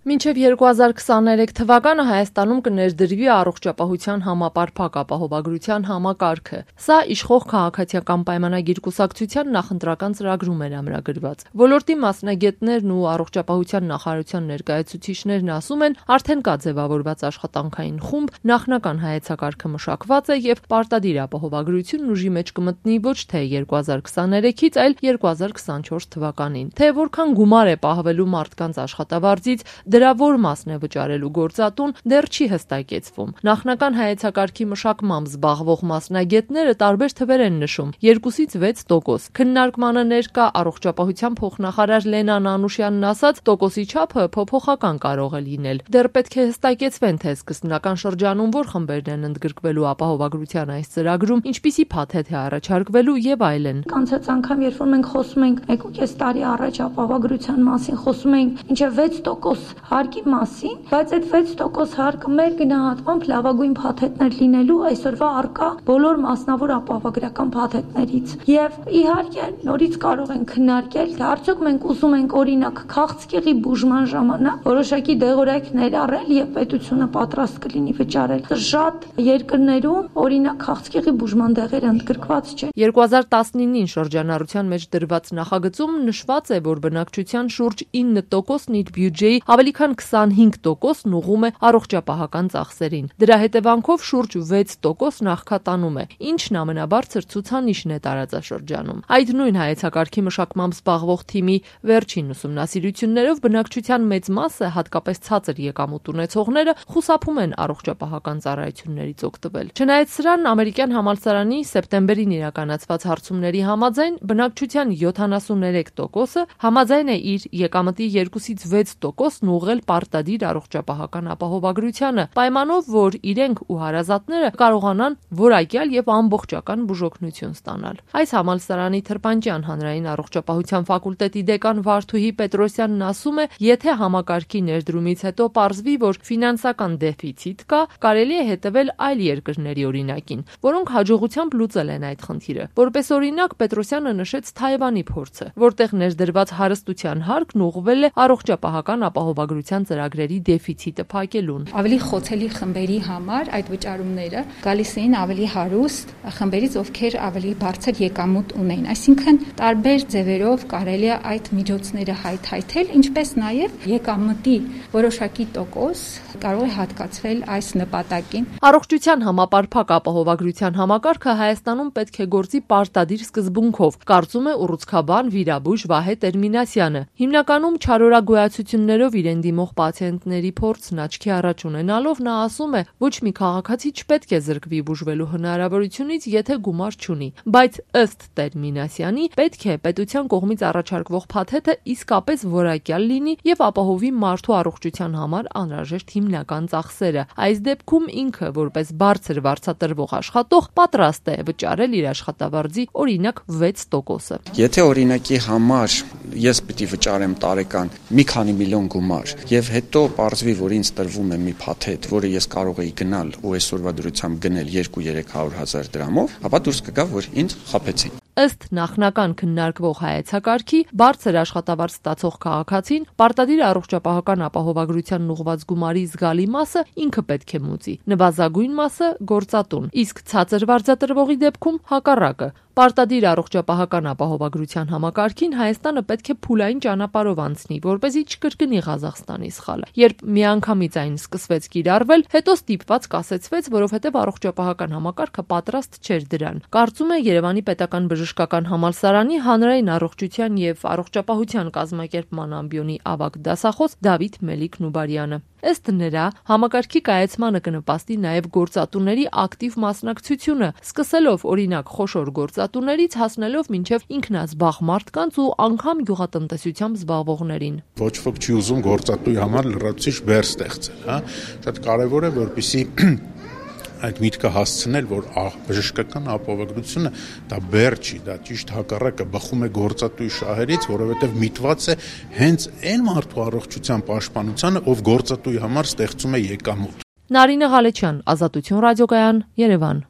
Մինչև 2023 թվականը Հայաստանում կներդրվի առողջապահության համապարփակ ապահովագրության համակարգը։ Սա իշխող քաղաքացիական պայմանագիր կուսակցության նախընտրական ծրագրում էր ամրագրված։ Ոլորտի մասնագետներն ու առողջապահության նախարարության ներկայացուցիչներն ասում են, արդեն կա ձևավորված աշխատանքային խումբ, նախնական հայեցակարգը մշակված է եւ պարտադիր ապահովագրությունն ուժի մեջ կմտնի ոչ թե 2023-ից, այլ 2024 թվականին։ Թե որքան գումար է պահվելու մարդկանց աշխատավարձից, դրա որ մասն է վճարելու գործատուն, դեռ չի հստակեցվում։ Նախնական հայեցակարգի մշակմամբ զբաղվող մասնագետները տարբեր թվեր են նշում՝ 2-ից 6%։ Քննարկմանը ներկա առողջապահության փոխնախարար Լենա Անուշյանն ասաց, տոկոսի չափը փոփոխական կարող է լինել։ Դեռ պետք է հստակեցվեն, թե սկզբնական շրջանում որ խմբերն են ընդգրկվելու ապահովագրության այս ծրագրում, ինչպիսի փաթեթ է առաջարկվելու եւ այլն։ Կանցած անգամ, երբ որ մենք խոսում ենք 1.5 տարի առաջ ապահովագրության մասին, խոսում ենք մինչև 6% հարկի մասին, բայց այդ 6% հարկը մեր գնահատմամբ լավագույն փաթեթներ լինելու այսօրվա առկա բոլոր մասնավոր ապահովագրական փաթեթներից։ Եվ իհարկե նորից կարող են քննարկել, թե արդյոք մենք ուզում ենք օրինակ քաղցկեղի բուժման ժամանակ որոշակի դեղորայք ներառել եւ պետությունը պատրաստ կլինի վճարել։ Շատ երկրներում օրինակ քաղցկեղի բուժման դեղերը ընդգրկված չեն։ 2019-ին շրջանառության մեջ դրված նախագծում նշված է, որ բնակչության շուրջ 9%-ն իր բյուջեի ավելի քան 25%-ն ուղղում է առողջապահական ծախսերին։ Դրա հետևանքով շուրջ 6% նախքատանում է, ինչն ամենաբարձր ցուցանիշն է տարածաշրջանում։ Այդ նույն հայեցակարգի մշակմամբ զբաղվող թիմի վերջին ուսումնասիրություններով բնակչության մեծ մասը, հատկապես ցածր եկամուտ ունեցողները, խուսափում են առողջապահական ծառայություններից օգտվել։ Չնայած սրան, ամերիկյան համալսարանի սեպտեմբերին իրականացված հարցումների համաձայն բնակչության 73%-ը համաձայն է իր եկամտի 2-ից 6%-ն ուղղել պարտադիր առողջապահական ապահովագրությանը, պայմանով, որ իրենք ու հարազատները կարողանան որակյալ եւ ամբողջական բուժօգնություն ստանալ։ Այս համալսարանի Թրպանջյան հանրային առողջապահության ֆակուլտետի դեկան Վարդուհի Պետրոսյանն ասում է, եթե համակարգի ներդրումից հետո պարզվի, որ ֆինանսական դեֆիցիտ կա, կարելի է հետևել այլ երկրների օրինակին, որոնք հաջողությամբ լուծել են այդ խնդիրը։ Որպես օրինակ Պետրոսյանը նշեց Թայվանի փորձը, որտեղ ներդրված հարստության հարկն ուղղվել է առողջապահական ապահովագրության ծրագրերի դեֆիցիտը փակելուն։ Ավելի խոցելի խմբերի համար այդ վճարումները գալիս էին ավելի հարուստ խմբերից, ովքեր ավելի բարձր եկամուտ ունեն։ Այսինքն տարբեր ձևերով կարելի է այդ միջոցները հայթայթել, ինչպես նաև եկամտի որոշակի տոկոս կարող է հատկացվել այս նպատակին։ Առողջության համապարփակ ապահովագրության համակարգը Հայաստանում պետք է գործի պարտադիր սկզբունքով, կարծում է ուռուցքաբան վիրաբույժ Վահե Տերմինասյանը։ Հիմնականում չարորագոյացություններով իրեն դիմող պացիենտների փորձն աչքի առաջ ունենալով նա ասում է, ոչ մի քաղաքացի չպետք է զրկվի բուժվելու հնարավորությունից, եթե գումար չունի, բայց ըստ Տերմինասյանի պետք է պետության կողմից առաջարկվող փաթեթը իսկապես որակյալ լինի եւ ապահովի մարդու առողջության համար անհրաժեշտ հիմնական ծախսերը։ Այս դեպքում ինքը, որպես բարձր վարձատրվող աշխատող, պատրաստ է վճարել իր աշխատավարձի օրինակ 6%-ը։ Եթե օրինակի համար ես պիտի վճարեմ տարեկան մի քանի միլիոն գումար եւ հետո պարզվի, որ ինձ տրվում է մի փաթեթ, որը ես կարող էի գնալ ու այսօրվա դրությամբ գնել 2-300 հազար դրամով, ապա դուրս կգա, որ ինձ խաբեցին։ Ըստ նախնական քննարկվող հայեցակարգի, բարձր աշխատավարձ ստացող քաղաքացին պարտադիր առողջապահական ապահովագրությանն ուղղված գումարի զգալի մասը ինքը պետք է մուծի, նվազագույն մասը գործատուն, իսկ ցածր վարձատրվողի դեպքում հակառակը։ Պարտադիր առողջապահական ապահովագրության համակարգին Հայաստանը պետք է փուլային ճանապարհով անցնի, որպեսզի չկրկնի Ղազախստանի սխալը։ Երբ միանգամից այն սկսվեց կիրառվել, հետո ստիպված կասեցվեց, որովհետև առողջապահական համակարգը պատրաստ չէր դրան։ Կարծում է Երևանի պետական բժշկական համալսարանի հանրային առողջության եւ առողջապահության կազմակերպման ամբիոնի ավագ դասախոս Դավիթ Մելիք-Նուբարյանը։ Ըստ նրա, համակարգի կայացմանը կնպաստի նաև գործատուների ակտիվ մասնակցությունը, սկսելով օրինակ խոշոր գործատուներից հասնելով մինչև ինքնազբաղ մարդկանց ու անգամ գյուղատնտեսությամբ զբաղվողներին։ Ոչ ոք չի ուզում գործատուի համար լրացուցիչ բեռ ստեղծել, հա։ Շատ կարևոր է, որպեսզի այդ միտքը հասցնել, որ բժշկական ապահովագրությունը դա բեռ չի, դա ճիշտ հակառակը բխում է գործատուի շահերից, որովհետև միտված է հենց այն մարդու առողջության պաշտպանությանը, ով գործատուի համար ստեղծում է եկամուտ։ Նարինե Ղալեչյան, Ազատություն ռադիոկայան, Երևան։